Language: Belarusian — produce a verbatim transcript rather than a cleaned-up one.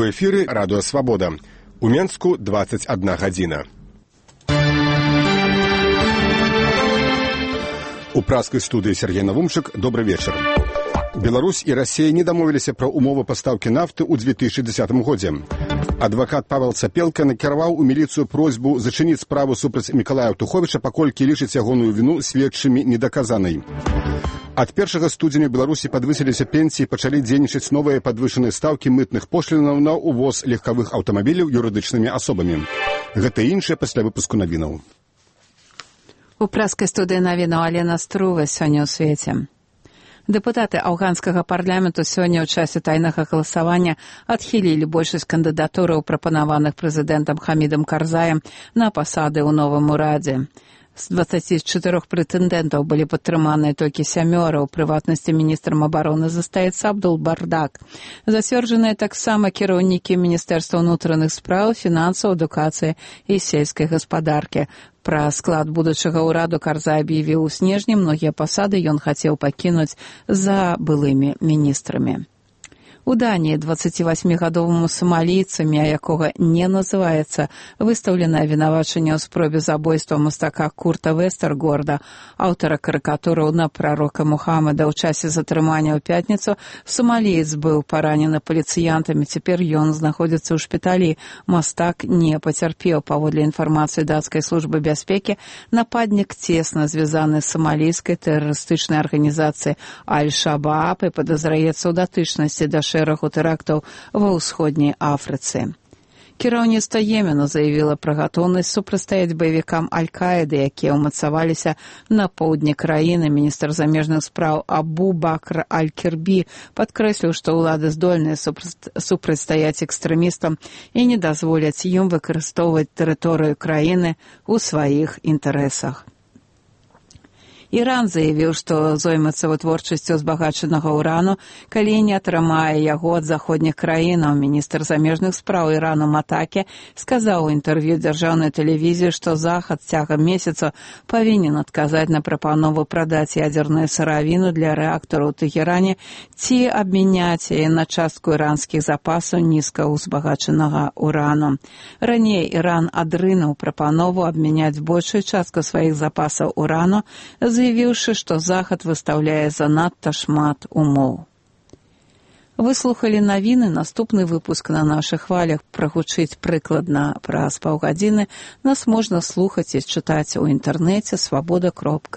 У эфіры радыё «Свабода». У Менску двадцать одна гадзіна. У праскай студыі Сергей Навумчык. Добры вечар. Беларусь і Расія не дамовіліся пра умовы пастаўкі нафты ў две тысячы дзесятым годзе. Адвакат Павел Цапелка накіраваў у міліцыю просьбу зачыніць справу супраць Мікалая Туховіча, паколькі лічыць ягоную віну сведчымі недаказанай. Ад першага студзеня ў Беларусі падвысіліся пенсіі, пачалі дзейнічаць новыя падвышаныя стаўкі мытных пошлінаў на ўвоз легкавых аўтамабіляў юрыдычнымі асобамі. Гэта і іншае пасля выпуску навінаў. У праскай студыі навінаў Алена Струва сёння ў свеце. Дэпутаты афганскага парламенту сёння ў часе тайнага галасавання адхілілі большасць кандыдатураў, прапанаваных прэзідэнтам Хамідам Карзаем на пасады ў новым урадзе. З дваццаці чатырох прэтэндэнтаў былі падтрыманыя толькі сямёра, у прыватнасці міністрам абароны застаецца Абдул Бардак. Зацверджаныя таксама кіраўнікі Міністэрства ўнутраных спраў, фінансаў, адукацыі і сельскай гаспадаркі. Пра склад будучага ўраду Карзай аб'явіў у снежні, многія пасады ён хацеў пакінуць за былымі міністрамі. У Даніі дваццацівасьмігадоваму сомалійцу, імя якога не называецца, выстаўленае абвінавачанне ў спробе забойства мастака Курта Вестергорда, аўтара карыкатураў на прарока Мухаммада. У часе затрымання ў пятніцу сомаліец быў паранены паліцыянтамі, цяпер ён знаходзіцца ў шпіталі. Мастак не пацярпеў. Паводле інфармацыі дацкай службы бяспекі, нападнік цесна звязаны з сомалійскай тэрарыстычнай арганізацыяй Аль-Шабааб і падазраецца ў датычнасці да шэрагу тэрактаў ва ўсходняй Афрыцы. Кіраўніцтва Йемена заявіла пра гатоўнасць супрацьстаяць баевікам Аль-Каіды, якія ўмацаваліся на поўдні краіны. Міністр замежных спраў Абу Бакр Аль-Кірбі падкрэсліў, што ўлады здольныя супрацьстаяць экстрэмістам і не дазволяць ім выкарыстоўваць тэрыторыю краіны ў сваіх інтарэсах. Іран заявіў, што зоймецца вытворчасцю збагачанага ўрану, калі не атрымае яго ад заходніх краінаў. Міністр замежных спраў Ірану Матаке сказаў у інтэрв'ю дзяржаўнай тэлевізіі, што Захад цягам месяца павінен адказаць на прапанову прадаць ядзерную сыравіну для рэактараў у Тэхеране ці абмяняць яе на частку іранскіх запасаў нізкаўзбагачанага ўрану. Раней Іран адрынуў прапанову абмяняць большую частку сваіх запасаў урану, заявіўшы, што Захад выстаўляе занадта шмат умоў. Выслухалі навіны. Наступны выпуск на нашых хвалях прагучыць прыкладна праз паўгадзіны. Нас можна слухаць і чытаць у інтэрнэце свабода кропка